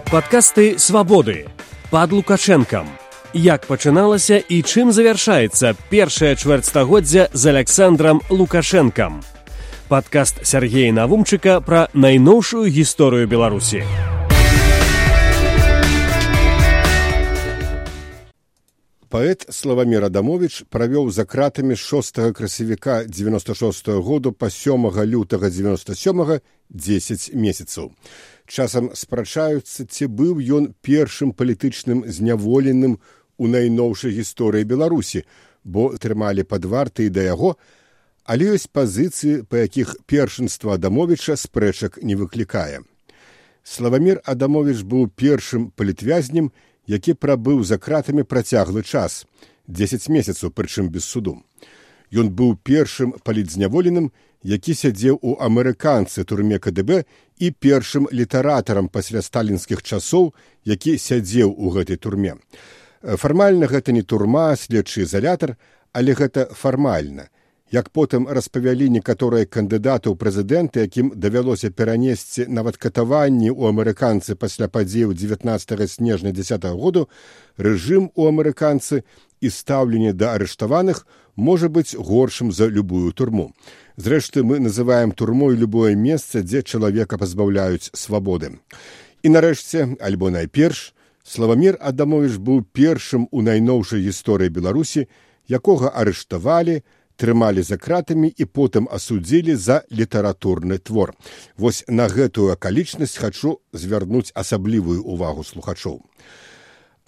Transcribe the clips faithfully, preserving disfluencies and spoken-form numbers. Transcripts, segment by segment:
Падкасты «Свабоды» пад Лукашэнкам. Як пачыналася і чым завяршаецца першае чвэрцьстагоддзя з Аляксандрам Лукашэнкам. Падкаст Сяргея Навумчыка пра найноўшую гісторыю Беларусі. Паэт Славамір Адамовіч правёў за кратамі з шостага красавіка дзевяноста шостага году па сёмага лютага дзевяноста сёмага дзесяць месяцаў. Часам спрачаюцца, ці быў ён першым палітычным зняволеным у найноўшай гісторыі Беларусі, бо трымалі пад вартай да яго, але ёсць пазіцыі, па якіх першынства Адамовіча спрэчак не выклікае. Славамір Адамовіч быў першым палітвязнем, які прабыў за кратамі працяглы час, дзесяць месяцаў, прычым без суду. Ён быў першым палітзняволеным, які сядзеў у амерыканцы турме ка дэ бэ і першым літаратарам пасля сталінскіх часоў, які сядзеў у гэтай турме. Фармальна гэта не турма, следчы ізалятар, але гэта фармальна. Як потым распавялі некаторыя кандыдаты ў прэзідэнты, якім давялося перанесці нават катаванні ў амерыканцы пасля падзеяў дзевятнаццатага снежня дзесятага году, рэжым у амерыканцы і стаўленне да арыштаваных можа быць горшым за любую турму. Зрэшты, мы называем турмой любое месца, дзе чалавека пазбаўляюць свабоды. І нарэшце, альбо найперш, Славамір Адамовіч быў першым у найноўшай гісторыі Беларусі, якога арыштавалі, трымалі за кратамі і потым асудзілі за літаратурны твор. Вось на гэтую акалічнасць хачу звярнуць асаблівую ўвагу слухачоў.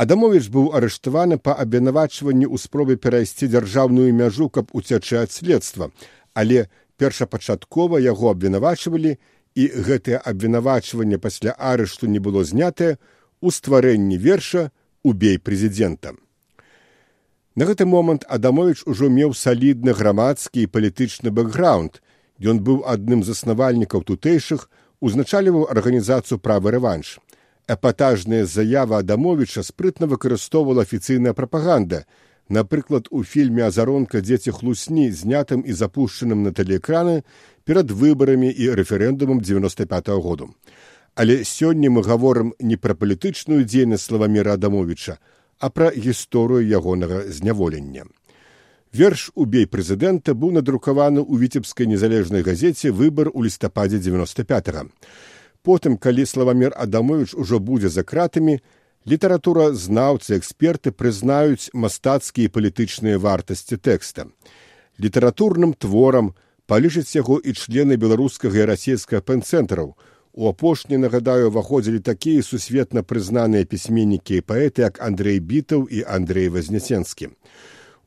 Адамовіч быў арыштаваны па абвінавачванні ў спробе перайсці дзяржаўную мяжу, каб уцячы ад следства, але першапачаткова яго абвінавачвалі, і гэтае абвінавачванне пасля арышту не было знятае у стварэнні верша «Убей прэзідэнта». На гэты момант Адамовіч ужо меў салідны грамадскі і палітычны бэкграунд. Ён быў адным з заснавальнікаў тутэйшых, узначальваў арганізацыю «Правы рэванш». Эпатажная заява Адамовіча спрытна выкарыстоўвала афіцыйная прапаганда. Напрыклад, у фільме «Азаронка. Дзеці хлусні», знятым і запушчаным на тэлеэкраны перад выбарамі і рэферэндумам дзевяноста пятага году. Але сёння мы гаворым не пра палітычную дзейнасць Славаміра Адамовіча, а пра гісторыю ягонага зняволення. Верш «Убей прэзідэнта» быў надрукаваны ў віцебскай незалежнай газеце «Выбар» у лістападзе дзевяноста пятага. Потым, калі Славамір Адамовіч ужо будзе за кратамі, літаратуразнаўцы, эксперты прызнаюць мастацкія і палітычныя вартасці тэкста. Літаратурным творам палічаць яго і члены беларускага і расійскага пэн-цэнтраў. У апошні, нагадаю, уваходзілі такія сусветна прызнаныя пісьменнікі і паэты, як Андрэй Бітаў і Андрэй Вазнесенскі.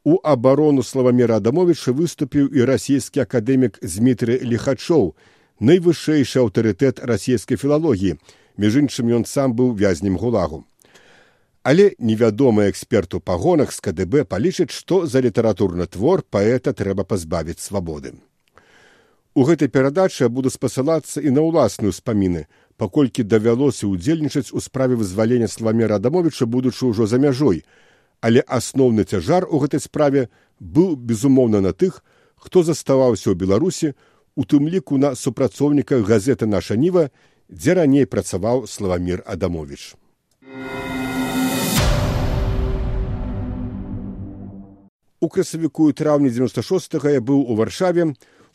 У абарону Славаміра Адамовіча выступіў і расійскі акадэмік Змітрый Ліхачоў, найвышэйшы аўтарытэт расійскай філалогіі, між іншым ён сам быў вязнем гулагу. Але невядомы эксперт у пагонах з ка дэ бэ палічыць, што за літаратурны твор паэта трэба пазбавіць свабоды. У гэтай перадачы я буду спасылацца і на ўласныя ўспаміны, паколькі давялося ўдзельнічаць у справе вызвалення Славаміра Адамовіча, будучы ўжо за мяжой. Але асноўны цяжар у гэтай справе быў, безумоўна, на тых, хто заставаўся ў Беларусі, у тым ліку на супрацоўніках газеты «Наша Ніва», дзе раней працаваў Славамір Адамовіч. У красавіку і траўні дзевяноста шостага я быў у Варшаве.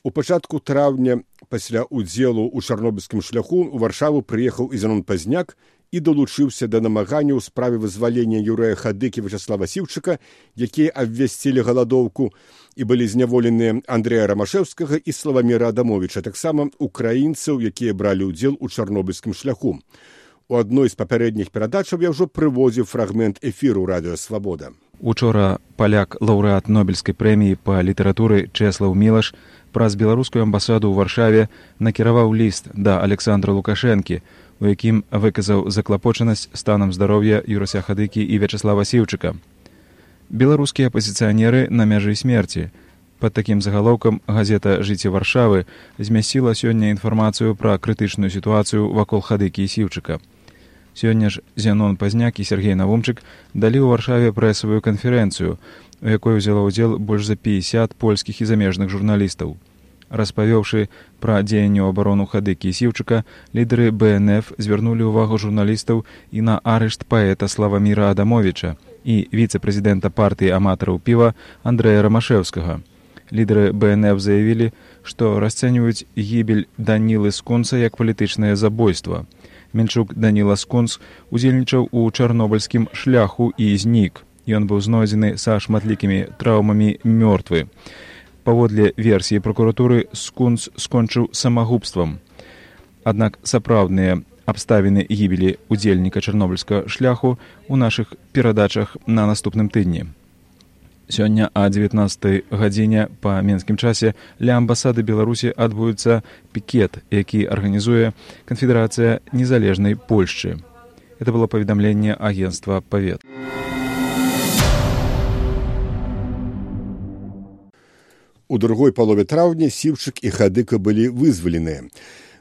У пачатку траўня, пасля ўдзелу ў чарнобыльскім шляху, у Варшаву прыехаў і Зянон Пазняк і далучыўся да намагання ў справе вызвалення Юрыя Хадыкі і Вячаслава Сіўчыка, якія абвясцілі галадоўку і былі зняволеныя Андрэя Рамашэўскага і Славаміра Адамовіча, таксама украінцаў, якія бралі ўдзел у чарнобыльскім шляху. У адной з папярэдніх перадачаў я ўжо прыводзіў фрагмент эфіру радыё «Свабода». Учора паляк, лаўрэат Нобелевскай прэміі па літаратуры Чэслаў Мілаш праз беларускую амбасаду ў Варшаве накіраваў ліст да Аляксандра Лукашэнкі, у якім выказаў заклапочанасць станам здароўя Юрася Хадыкі і Вячаслава Сіўчыка. Беларускія апазіцыянеры на мяжы смерці. Пад такім загалоўкам газета «Жыццё Варшавы» змясціла сёння інфармацыю пра крытычную сітуацыю вакол Хадыкі і Сіўчыка. Сёння ж Зянон Пазняк і Сяргей Навумчык далі ў Варшаве прэсавую канферэнцыю, у якой узяла ўдзел больш за пятьдесят польскіх і замежных журналістаў. Распавёўшы пра дзеянне ў абарону Хадыкі і Сіўчыка, лідары бэ эн эф звярнулі ўвагу журналістаў і на арышт паэта Славаміра Адамовіча і віцэ-прэзідэнта партыі аматараў піва Андрэя Рамашэўскага. Лідары бэ эн эф заявілі, што расцэньваюць гібель Данілы Скунса як палітычнае забойства. Мельчук Даніла Скунс удзельнічаў у чарнобыльскім шляху і знік. Ён быў знойдзены са шматлікімі траўмамі мёртвы. Паводле версіі прокуратуры, Скунс скончыў самагубствам. Аднак сапраўдныя абставіны гібелі удзельніка чарнобыльскага шляху ў нашых перадачах на наступным тыдні. Сёння а дзевятнаццатай гадзіне па менскім часе ля амбасады Беларусі адбудзецца пікет, які арганізуе Канфедэрацыя незалежнай Польшчы. Это было паведамленне агенцтва Павет. У другой палове траўня Сіўчык і Хадыка былі вызваленыя.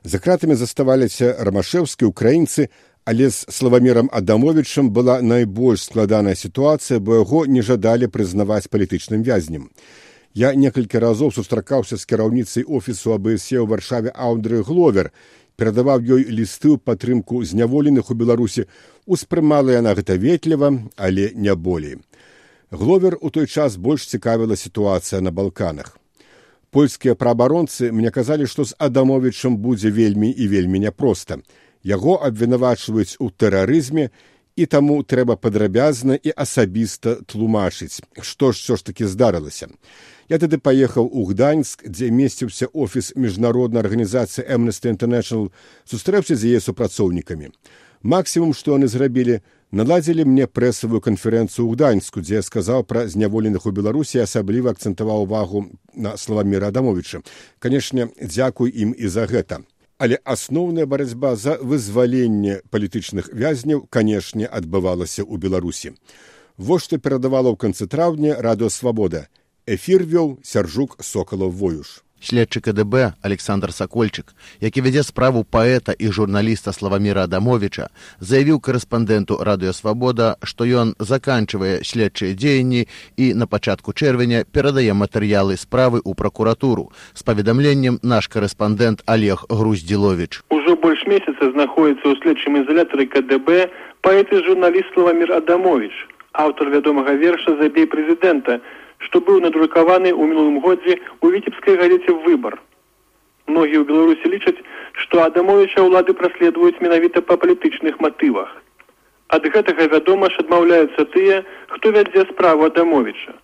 За кратамі заставаліся рамашэўскія украінцы, але з Славамірам Адамовічам была найбольш складаная сітуацыя, бо яго не жадалі прызнаваць палітычным вязнем. Я некалькі разоў сустракаўся з кіраўніцай офісу а бэ эс е ў Варшаве Аўдры Гловер, перадаваў ёй лісты ў падтрымку зняволеных у Беларусі, успрымала яна гэта ветліва, але не болей. Гловер у той час больш цікавіла сітуацыя на Балканах. Польскія праабаронцы мне казалі, што з Адамовічам будзе вельмі і вельмі няпроста. Яго абвінавачваюць у тэрарызме, і таму трэба падрабязна і асабіста тлумачыць, што ж ўсё ж такі здарылася. Я тады паехаў у Гданьск, дзе месціўся офіс міжнароднай арганізацыі Amnesty International, сустрэўся з яе супрацоўнікамі. Максімум, што яны зрабілі, наладзілі мне прэсавую канферэнцыю ў Гданьску, дзе я сказаў пра зняволеных у Беларусі і асабліва акцэнтаваў увагу на Славаміра Адамовіча. Канешне, дзякуй ім і за гэта. Але асноўная барацьба за вызваленне палітычных вязняў, канешне, адбывалася ў Беларусі. Вось што перадавала ў канцы траўня Радыё Свабода. Эфір вёў Сяржук Сокалаў-Воюш. Следчы ка дэ бэ Александр Сакольчык, які вядзе справу паэта і журналіста Славаміра Адамовіча, заявіў корэспандэнту Радыё Свабода, што ён заканчвае следчыя дзеянні і на пачатку чэрвеня перадае матэрыялы справы ў пракуратуру. З паведамленнем наш корэспандэнт Олег Груздзіловіч. Ужо больш месяца знаходзіцца ў следчым ізалятары ка дэ бэ паэт і журналіст Славамір Адамовіч, аўтар вядомага верша «Забей прэзідэнта», што быў надрукаваны ў мінулым годзе ў віцебскай газеце «Выбар». Многія ў Беларусі лічаць, што Адамовіча ўлады праследуюць менавіта па палітычных матывах. Ад гэтага, вядома ж, адмаўляюцца тыя, хто вядзе справу Адамовіча.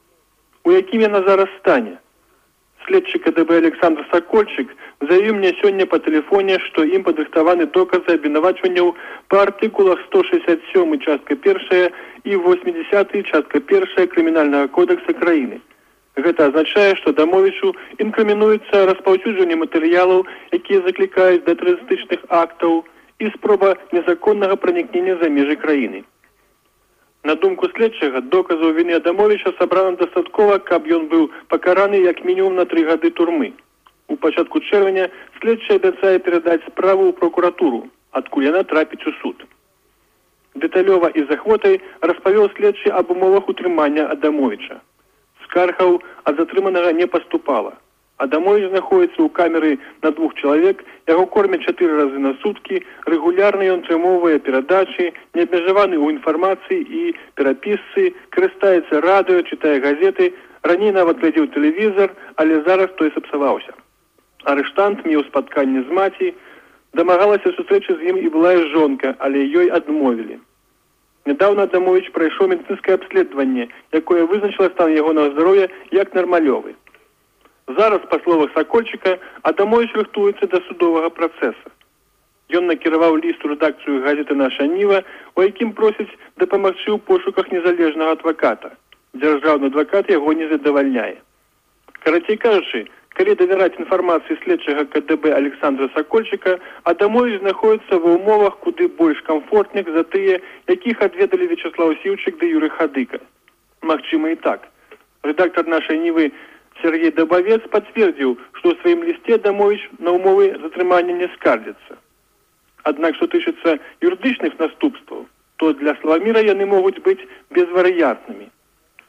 У якім яна зараз стане? Следчы ка дэ бэ Александр Сакольчык заявіў мне сёння па тэлефоне, што ім падрыхтаваны доказы абвінавачванняў па артыкулах сто шэсцьдзесят сёмы частка першая і восьмідзесяты частка першая крымінальнага кодекса краіны. Гэта азначае, што Адамовічу інкрымінуецца распаўсюджванне матэрыялаў, якія заклікаюць да тэрарыстычных актаў, і спроба незаконнага пранікнення за межы краіны. На думку следчага, доказаў віны Адамовіча сабрана дастаткова, каб ён быў пакараны як мінімум на тры гады турмы. У пачатку чэрвеня следчы абяцае перадаць справу ў прокуратуру, адкуль яна трапіць у суд. Дэталёва і з ахвотай распавёў следчы аб умовах утрымання Адамовіча. Скаргаў ад затрыманага не паступала. Адамовіч знаходіцца ў камеры на двух чалавек, яго кормяць чатыры разы на суткі, рэгулярна ён атрымоўвае перадачы, неабмежаваны ў інфармацыі і перапісцы, карыстаецца радыё, чытае газеты, раней нават глядзеў тэлевізар, але зараз той сапсаваўся. Арыштант меў спатканне з маці, дамагалася сустрэчы з ім і былая жонка, але ёй адмовілі. Нядаўна Адамовіч прайшоў медыцынскае абследаванне, якое вызначыла стан ягонага здароўя як нармалёвы. Зараз, па словах Сакольчыка, Адамовіч рыхтуецца да судовага працэса. Ён накіраваў ліст у рэдакцыю газеты «Наша Ніва», у якім просіць дапамагчы ў пошуках незалежнага адваката. Дзяржаўны адвакат яго не задавальняе. Карацей кажучы, калі давяраць інфармацыі следчага ка дэ бэ Александра Сакольчыка, Адамовіч знаходіцца ва ўмовах куды больш камфортных за тыя, якіх адведалі Вячаслаў Сіўчык ды Юрый Хадыка. Магчыма і так. Рэдактар «Нашай Нівы» Сергей Дабавец пацвердзіў, што ў сваім лісце Адамовіч на ўмовы затрымання не скардзіцца. Аднак, што тычыцца юрыдычных наступстваў, то для Славаміра яны могуць быць безварыянтнымі.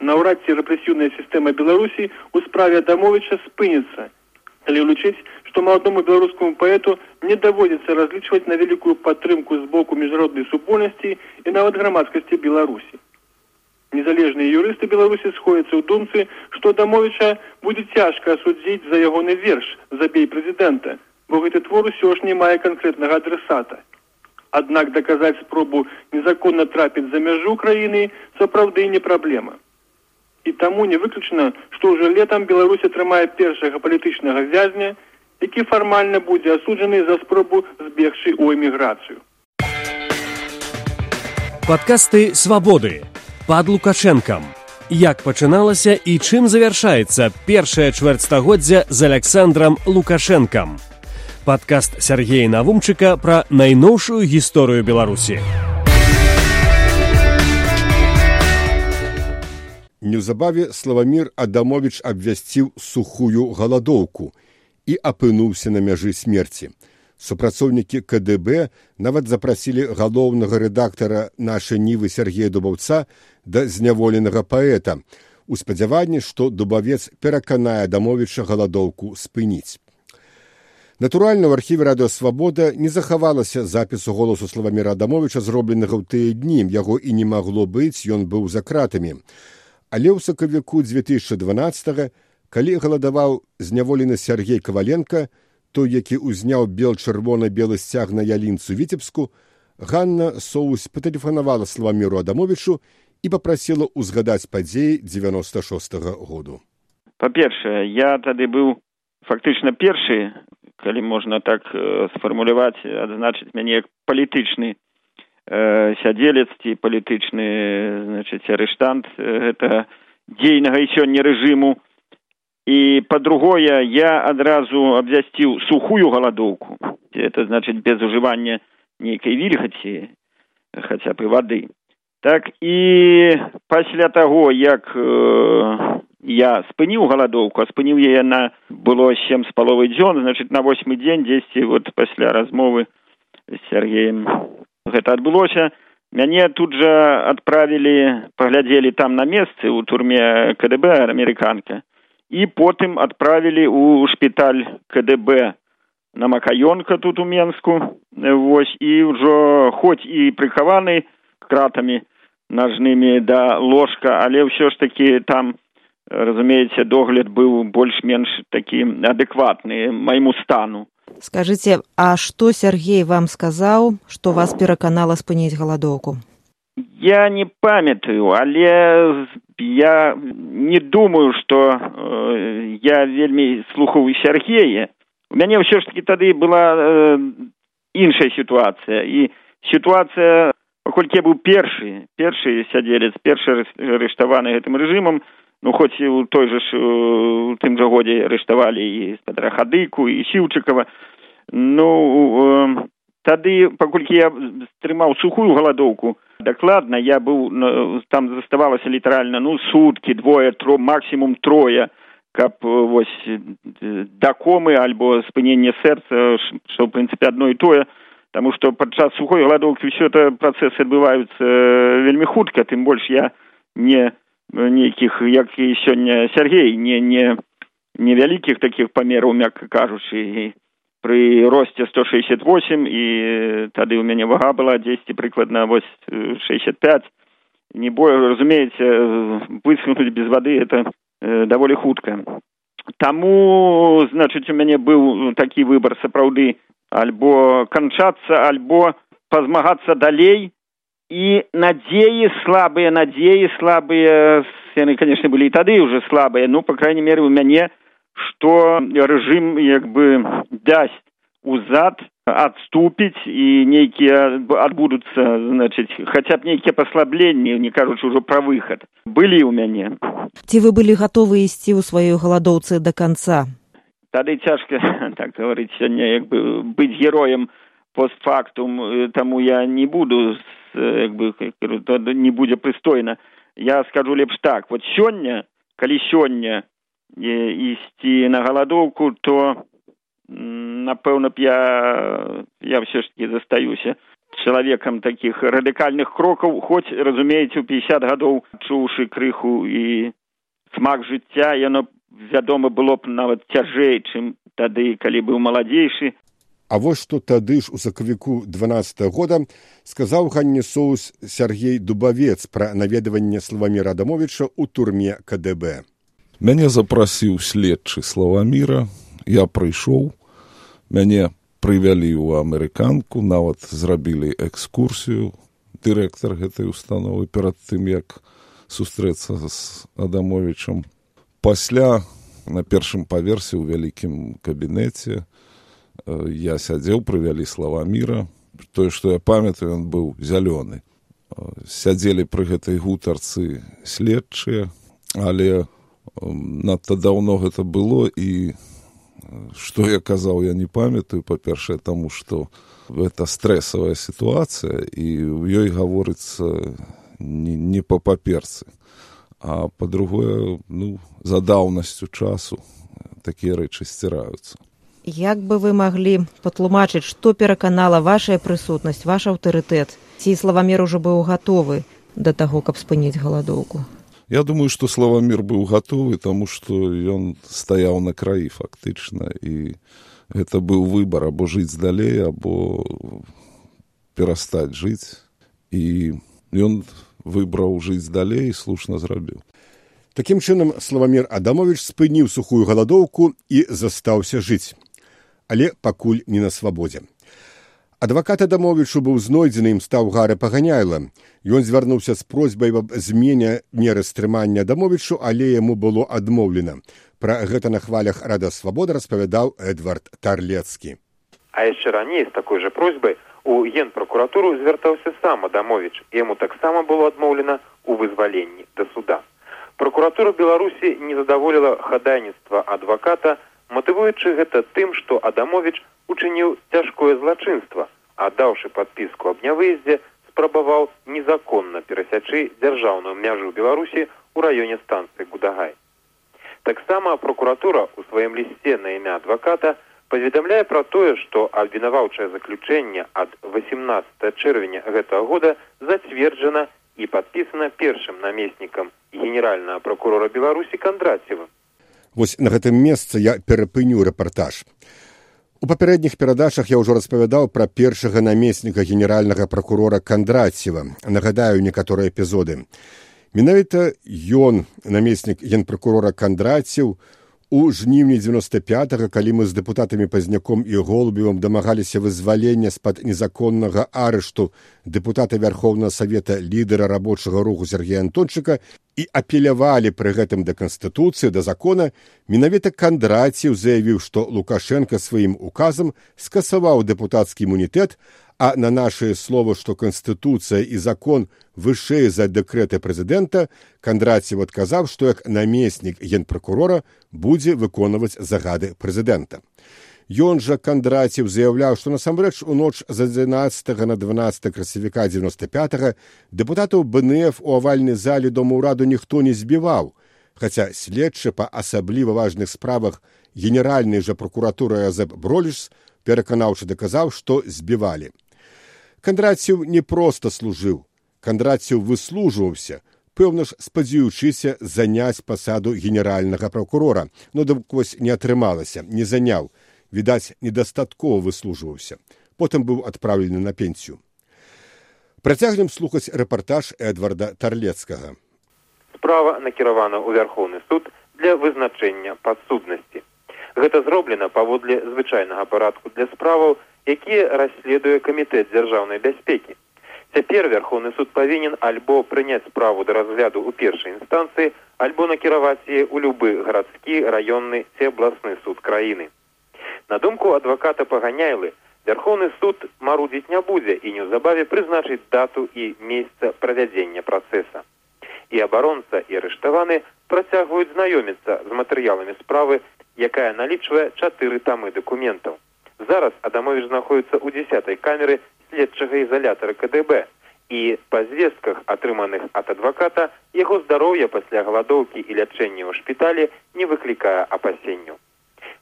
Наўрад ці рэпрэсіўная сістэма Беларусі ў справе Адамовіча спыніцца. Але улічыць, што маладому беларускаму паэту не даводзіцца разлічваць на вялікую падтрымку з боку міжнароднай супольнасці і нават грамадскасці Беларусі. Незалежныя юрысты Беларусі сходяцца ў думцы, што Адамовіча будзе цяжка асудзіць за ягоны верш «Забей прэзідэнта», бо гэты твор усё ж не мае канкрэтнага адресата. Аднак даказаць спробу незаконна трапіць за мяжу краіны сапраўды не праблема. І таму не выключана, што ўжо летам Беларусь атрымае першага палітычнага вязня, які фармальна будзе асуджаны за спробу збегчы ў эміграцыю. Падкасты «Свабоды» пад Лукашэнкам. Як пачыналася і чым завяршаецца першае чвэрцьстагоддзя з Александрам Лукашэнкам. Падкаст Сяргея Навумчыка пра найноўшую гісторыю Беларусі. Неўзабаве Славамір Адамовіч абвясціў сухую галадоўку і апынуўся на мяжы смерці. Супрацоўнікі ка дэ бэ нават запрасілі галоўнага рэдактара «Нашай Нівы» Сергея Дубаўца да зняволенага паэта у спадзяванні, што Дубавец пераканае Адамовіча галадоўку спыніць. Натуральна, ў архіве радыё «Свабода» не захавалася запісу голасу Славаміра Адамовіча, зробленага ў тыя дні. Яго і не магло быць, ён быў за кратамі. Але ў сакавіку дзве тысячы дванаццатага, калі галадаваў зняволены Сергей Каваленка, той, які ўзняў бел-чырвона-белы сцяг на ялінцу Віцебску, Ганна Соусь патэлефанавала Славаміру Адамовічу і папрасіла ўзгадаць падзеі дзевяноста шостага году. Па-першае, я тады быў фактычна першы, калі можна так э, сфармуляваць, адзначыць мяне як палітычны э, сядзелец ці палітычны, значыць, арыштант гэта дзейнага і сёння рэжыму. І, па-другое, я адразу абвясціў сухую галадоўку. Это значыць без ужывання нейкай вільгаці, хаця б і вады. Так, і пасля таго, як э, я спыніў галадоўку, а спыніў яе на было сем з паловай дзён, значыць, на восьмы дзень, дзесьці вот пасля размовы з Сергеем гэта адбылося, мяне тут жа адправілі, паглядзелі там на месцы ў турме ка дэ бэ амерыканка. І потым адправілі ў шпіталь ка дэ бэ на Макаёнка тут у Менску. Вось, і ўжо хоць і прыхаваны кратамі нажнымі да ложка, але ўсё ж такі там, разумееце, догляд быў больш-менш такі адэкватны майму стану. Скажыце, а што Сергей вам сказаў, што вас пераканала спыніць галадоўку? Я не памятаю, але я не думаю, што э, я вельмі слухаў Сергея. У мяне ўсё ж такі тады была э, іншая сітуацыя. І сітуацыя, паколькі я быў першы, першы сядзелец, першы арыштаваны гэтым рэжымам, ну, хоць і ў той жа ж, у тым жа годзе арыштавалі і спадара Хадыку, і Сіўчыкава. Ну, э, тады, паколькі я стрымаў сухую галадоўку, дакладна, я быў, там заставалася літаральна, ну, суткі, двое, тро, максімум трое, каб вось да комы альбо спынення сэрца, што, ў прынцыпе, адно і тое, таму што падчас сухой галадоўкі ўсё это працэсы адбываюцца вельмі хутка, тым больш я не нейкіх, як і сёння Сергей, не, не, не вялікіх такіх памераў, мякка кажучы, пры росце сто шэсцьдзесят восемь, і тады ў мяне вага была дзесьці прыкладна вось шэсцьдесят пять. Не бой, разумееце, высунуць без вады это э, даволі хутка. Таму, значыць, у мяне быў такі выбар сапраўды альбо канчацца, альбо пазмагацца далей, і надзеі слабыя, надзеі слабыя, яны, канешне, былі і тады ўжо слабыя, ну, па крайней меры, у мяне што рэжым як бы дасць узад, адступіць і нейкія адбудуцца, значыць, хаця б нейкія паслабленні, не кажучы ўжо пра выхад, былі ў мяне. Ці вы былі гатовы ісці ў сваёй галадоўцы да канца? Тады цяжка, так гаварыць, сёння як бы быць героем постфактум, таму я не буду, як бы, не будзе прыстойна. Я скажу лепш так, вот сёння, калі сёння ісці на галадоўку, то, напэўна б я, я ўсё ж такі застаюся чалавекам такіх радыкальных крокаў, хоць, разумееце, у пятьдесят гадоў, чуўшы крыху і смак жыцця, яно, вядома, было б нават цяжэй, чым тады, калі быў маладзейшы. А вось што тады ж у сакавіку дванаццатага года сказаў Ганне Соус Сяргей Дубавец пра наведванне Славаміра Адамовіча ў турме ка дэ бэ. Мяне запрасіў следчы Славаміра, я прыйшоў, мяне прывялі ў амерыканку, нават зрабілі экскурсію, дырэктар гэтай установы перад тым, як сустрэцца з Адамовічам. Пасля на першым паверсе ў вялікім кабінеце я сядзеў, прывялі Славаміра. Тое, што я памятаю, ён быў зялёны. Сядзелі пры гэтай гутарцы следчыя, але надта даўно гэта было, і што я казаў, я не памятаю, па-першае, таму што гэта стрэсавая сітуацыя, і ў ёй гаворыцца не, не па паперцы. А па-другое, ну, за даўнасцю часу такія рэчы сціраюцца. Як бы вы маглі патлумачыць, што пераканала вашая прысутнасць, ваш аўтарытэт? Ці Славамір ужо быў гатовы да таго, каб спыніць галадоўку? Я думаю, што Славамір быў гатовы, таму што ён стаяў на краі фактычна, і гэта быў выбар або жыць далей, або перастаць жыць. І ён выбраў жыць далей і слушна зрабіў. Такім чынам, Славамір Адамовіч спыніў сухую галадоўку і застаўся жыць. Але пакуль не на свабодзе. Адвакат Адамовічу быў знойдзены, ім стаў Гара Паганяйла. Ён звярнуўся з просьбай аб змене меры стрымання Адамовічу, але яму было адмоўлена. Пра гэта на хвалях Рада Свабода распавядаў Эдвард Тарлецкі. А яшчэ раней з такой жа просьбай у Генпракуратуру звяртаўся сам Адамовіч. Яму таксама было адмоўлена ў вызваленні да суда. Прокуратура Беларусі не задаволіла хадайніцтва адваката, матывуючы гэта тым, што Адамовіч учыніў цяжкое злачынства, аддаўшы падпіску аб нявыездзе, спрабаваў незаконна перасячы дзяржаўную мяжу Беларусі ў раёне станцыі Гудагай. Таксама прокуратура ў сваім лісце на імя адваката паведамляе пра тое, што абвінаваўчае заключэнне ад васемнаццатага чэрвеня гэтага года зацверджана і падпісана першым намеснікам генеральнага прокурора Беларусі Кондратьевым. Вось на гэтым месцы я перапыню рэпартаж. У папярэдніх перадачах я ўжо распавядаў пра першага намесніка генеральнага прокурора Кондратьева. Нагадаю некаторыя эпізоды. Менавіта ён, намеснік генпракурора Кондратьев, у жніўні дзевяноста пятага, калі мы з дэпутатамі Пазняком і Голубевым дамагаліся вызвалення з-пад незаконнага арышту дэпутата Вярхоўнага Савета, лідара рабочага руху Сергея Антончыка, і апелявалі пры гэтым да Канстытуцыі, да закона, менавіта Кондратьев заявіў, што Лукашенко сваім указам скасаваў дэпутацкі імунітэт, а на нашае слово, што Канстытуцыя і закон вышэй за дэкрэты прэзідэнта, Кондратьев адказаў, што як намеснік генпракурора будзе выконваць загады прэзідэнта. Ён жа, Кондратьев, заяўляў, што насамрэч у ноч з адзінаццатага на дванаццатае красавіка дзевяноста пятага дэпутатаў бэ эн эф у авальнай зале Дома ўраду ніхто не збіваў, хаця следчы па асабліва важных справах генеральнай жа прокуратуры Азэп Броліш пераканаўчы даказаў, што збівалі. Кондратьев не проста служыў. Кондратьев выслужваўся, пэўна ж спадзяючыся заняць пасаду генеральнага прокурора, но дык вось не атрымалася, не заняў. Відаць, недастаткова выслужваўся. Потым быў адпраўлены на пенсію. Працягнем слухаць рэпартаж Эдварда Тарлецкага. Справа накіравана ў Вярхоўны суд для вызначэння падсуднасці. Гэта зроблена паводле звычайнага парадку для справаў, якія расследуе Камітэт дзяржаўнай бяспекі. Цяпер Вярхоўны суд павінен альбо прыняць справу да разгляду ў першай інстанцыі, альбо накіраваць яе ў любы гарадскі, раённы ці абласны суд краіны. На думку адваката Паганяйлы, Вярхоўны суд марудзіць не будзе і неўзабаве прызначыць дату і месца правядзення працэса. І абаронца, і арыштаваны працягваюць знаёміцца з матэрыяламі справы, якая налічвае чатыры тамы дакументаў. Зараз Адамовіч знаходіцца ў дзесятай камеры следчага ізалятара ка дэ бэ, і па звестках, атрыманых ад адваката, яго здароўе пасля галадоўкі і лячэння ў шпіталі не выклікае апасенняў.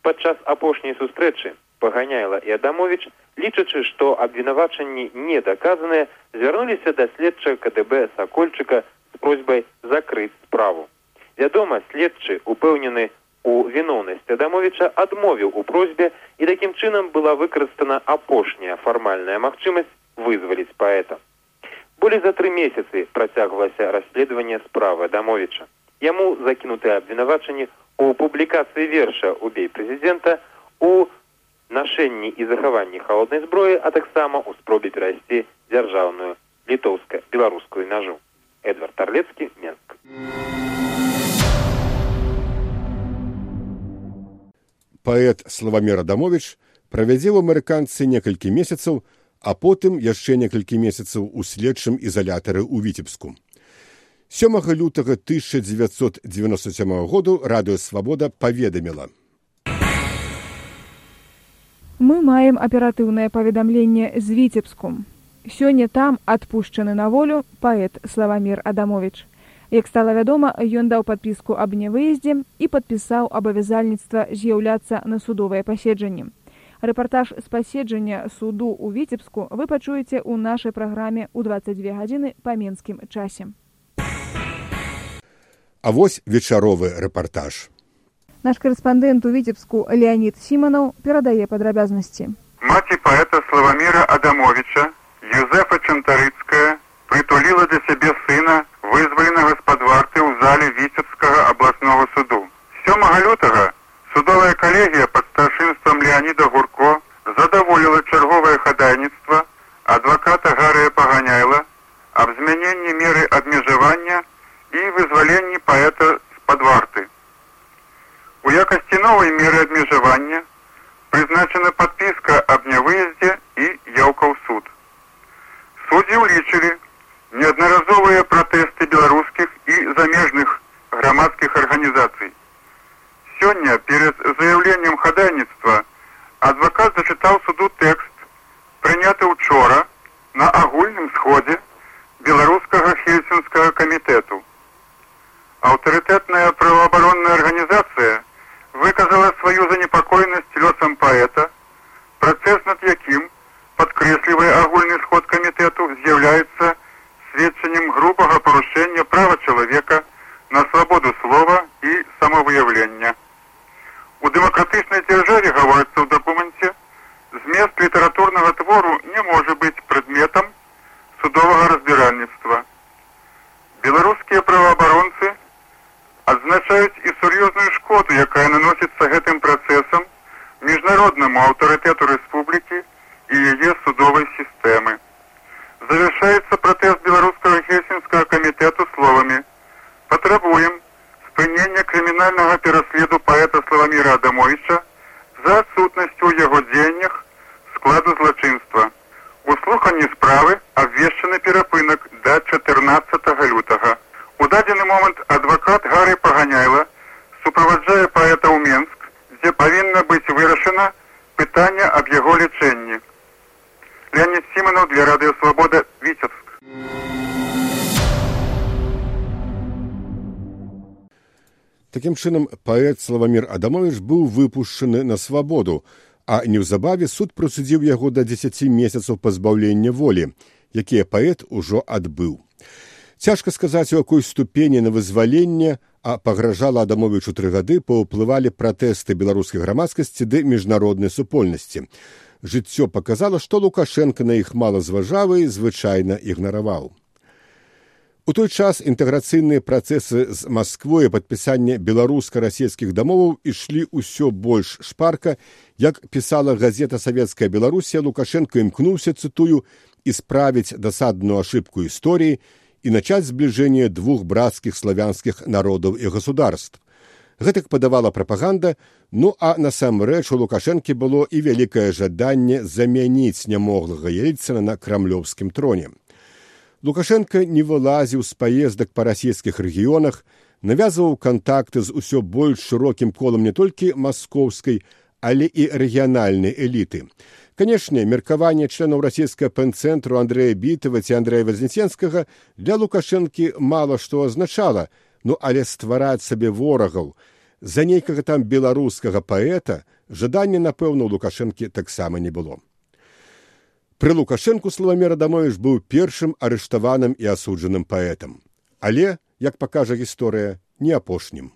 Падчас апошняй сустрэчы Паганяйла і Адамовіч, лічачы, што абвінавачанні не даказаныя, звярнуліся да следчага ка дэ бэ Сакольчыка з просьбай закрыць справу. Вядома, следчы упэўнены у виновности Адамовича адмовіў у просьбе, і такім чынам была выкарыстана апошняя фармальная магчымасць вызваліць паэта. Болей за тры месяцы працягвалася расследаванне справы Адамовича. Яму закінутыя абвінавачанні у публікацыі верша «Убей прэзідэнта», у нашэнні і захаванні халоднай зброі, а таксама у спробе перайсці дзяржаўную літоўска-беларускую мяжу. Эдвард Тарлецкі, Менск. Паэт Славамір Адамовіч правядзе ў амерыканцы некалькі месяцаў, а потым яшчэ некалькі месяцаў у следчым ізалятары ў Віцебску. сёмага лютага тысяча дзевяцьсот дзевяноста сёмага году Радыё Свабода паведаміла: Мы маем аператыўнае паведамленне з Віцебску. Сёння там адпушчаны на волю паэт Славамір Адамовіч. Як стала вядома, ён даў падпіску аб нявыездзе і падпісаў абавязальніцтва з'яўляцца на судовае паседжанне. Рэпартаж з паседжання суду ў Віцебску вы пачуеце ў нашай праграме ў дваццаць дзве гадзіны па менскім часе. А вось вечаровы рэпартаж. Наш корэспандэнт у Віцебску Леонід Сіманаў перадае падрабязнасці. Маці паэта Славаміра Адамовіча, Юзефа Чантарыцкая, притулила для сябе сына, вызваленага з-пад варты ў зале Віцебскага абласнога суду. сёмага лютага судовая калегія пад старшынствам Леаніда Гурко задаволіла чарговае хадайніцтва адваката Гарыя Паганяйла аб змяненні меры абмежавання і вызваленні паэта з-пад варты. У якасці новай меры абмежавання прызначана падпіска аб нявыездзе і яўка ў суд. Суддзі ўлічылі неаднаразовыя пратэсты беларускіх і замежных грамадскіх арганізацый. Сёння перед заяўленнем хадайніцтва адвакат зачытаў суду тэкст, прыняты учора на агульным сходзе беларускага хельсінскага камітэту. Аўтарытэтная праваабаронная арганізацыя выказала сваю занепакоенасць лёсам паэта, працэс над якім, падкрэслівае агульны сход камітэту, з'яўляецца сведчаннем грубага парушэння права чалавека на свабоду слова і самавыяўлення. У дэмакратычнай дзяржаве, гаворыцца ў дакуменце, змест літаратурнага твору не можа быць прадметам судовага разбіральніцтва. Беларускія праваабаронцы адзначаюць і сур'ёзную шкоду, якая наносіцца гэтым працэсам міжнароднаму аўтарытэту рэспублікі і яе судовай сістэмы. Завершаецца пратэст беларускага хельсінскага камітэту словамі: «Патрабуем спынення крымінальнага пераследу паэта Славаміра Адамовіча за адсутнасцю ў яго дзеяннях складу злачынства. У слуханні справы абвешчаны перапынак да чатырнаццатага лютага. У дадзены момант адвакат Гары Паганяйла суправаджае паэта ў Менск, дзе павінна быць вырашана пытанне аб яго лячэнні». Леонид Симонов для Радио Свобода, Витебск. Такім чынам, паэт Славамір Адамовіч быў выпушчаны на свабоду, а неўзабаве суд прысудзіў яго да дзесяці месяцаў пазбаўлення волі, якія паэт ужо адбыў. Цяжка сказаць, у якой ступені на вызваленне, а пагражала Адамовічу тры гады, паўплывалі пратэсты беларускай грамадскасці ды міжнароднай супольнасці. Жыццё паказала, што Лукашенка на іх мала зважаў і звычайна ігнараваў. У той час інтэграцыйныя працэсы з Масквой і падпісанне беларуска-расійскіх дамоваў ішлі ўсё больш шпарка. Як пісала газета «Савецкая Беларусія», Лукашенко імкнуўся, цытую, «исправить досадную ошибку истории и начать сближение двух братских славянских народов и государств». Гэтак падавала прапаганда, ну а насамрэч у Лукашэнкі было і вялікае жаданне замяніць нямоглага Ельцына на крамлёўскім троне. Лукашенко не вылазіў з паездак па расійскіх рэгіёнах, навязваў кантакты з усё больш шырокім колам не толькі маскоўскай, але і рэгіянальнай эліты. Канешне, меркаванне членаў расійскага пэнцэнтру Андрэя Бітава ці Андрэя Вазнеценскага для Лукашэнкі мала што азначала, ну але ствараць сабе ворагаў за нейкага там беларускага паэта жадання, напэўна, у Лукашэнкі таксама не было. Пры Лукашэнку Славамір Адамовіч быў першым арыштаваным і асуджаным паэтам. Але, як пакажа гісторыя, не апошнім.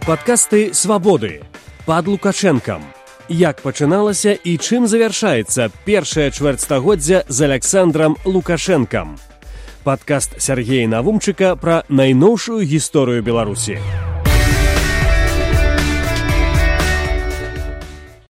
Падкасты «Свабоды». Пад Лукашэнкам. Як пачыналася і чым завяршаецца першае чвэрцьстагоддзя з Александрам Лукашэнкам. Падкаст Сяргея Навумчыка пра найноўшую гісторыю Беларусі.